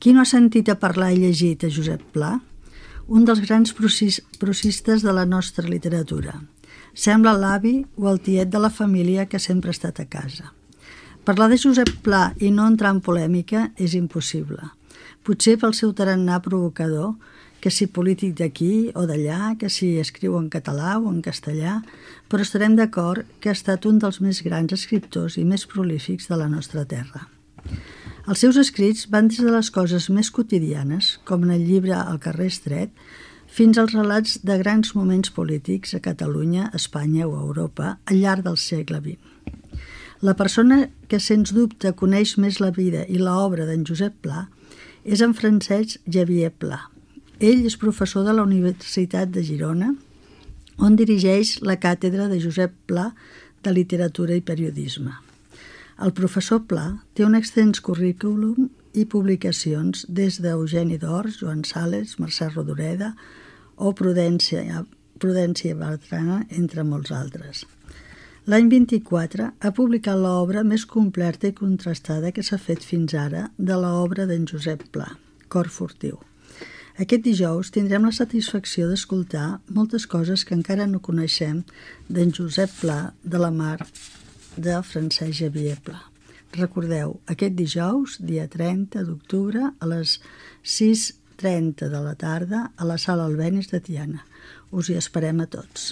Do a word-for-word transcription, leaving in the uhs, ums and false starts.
Qui no ha sentit a parlar i llegit a Josep Pla? Un dels grans prosistes de la nostra literatura. Sembla l'avi o el tiet de la família que sempre ha estat a casa. Parlar de Josep Pla i no entrar en polèmica és impossible. Potser pel seu tarannà provocador, que si polític d'aquí o d'allà, que si escriu en català o en castellà, però estarem d'acord que ha estat un dels més grans escriptors i més prolífics de la nostra terra. Els seus escrits van des de les coses més quotidianes, com en el llibre El carrer estret, fins als relats de grans moments polítics a Catalunya, Espanya o Europa al llarg del segle vint. La persona que, sens dubte, coneix més la vida i l'obra d'en Josep Pla és en Francesc Xavier Pla. Ell és professor de la Universitat de Girona, on dirigeix la càtedra de Josep Pla de Literatura i Periodisme. El professor Pla té un extens currículum i publicacions des d'Eugeni d'Ors, Joan Sales, Mercè Rodoreda o Prudència, Prudència Bertrana, entre molts altres. L'any vint-i-quatre ha publicat l'obra més completa i contrastada que s'ha fet fins ara de l'obra d'en Josep Pla, Cor furtiu. Aquest dijous tindrem la satisfacció d'escoltar moltes coses que encara no coneixem d'en Josep Pla de la mar de Francesc Xavier Pla. Recordeu, aquest dijous, dia trenta d'octubre, a les sis trenta de la tarda, a la sala Albéniz de Tiana. Us hi esperem a tots.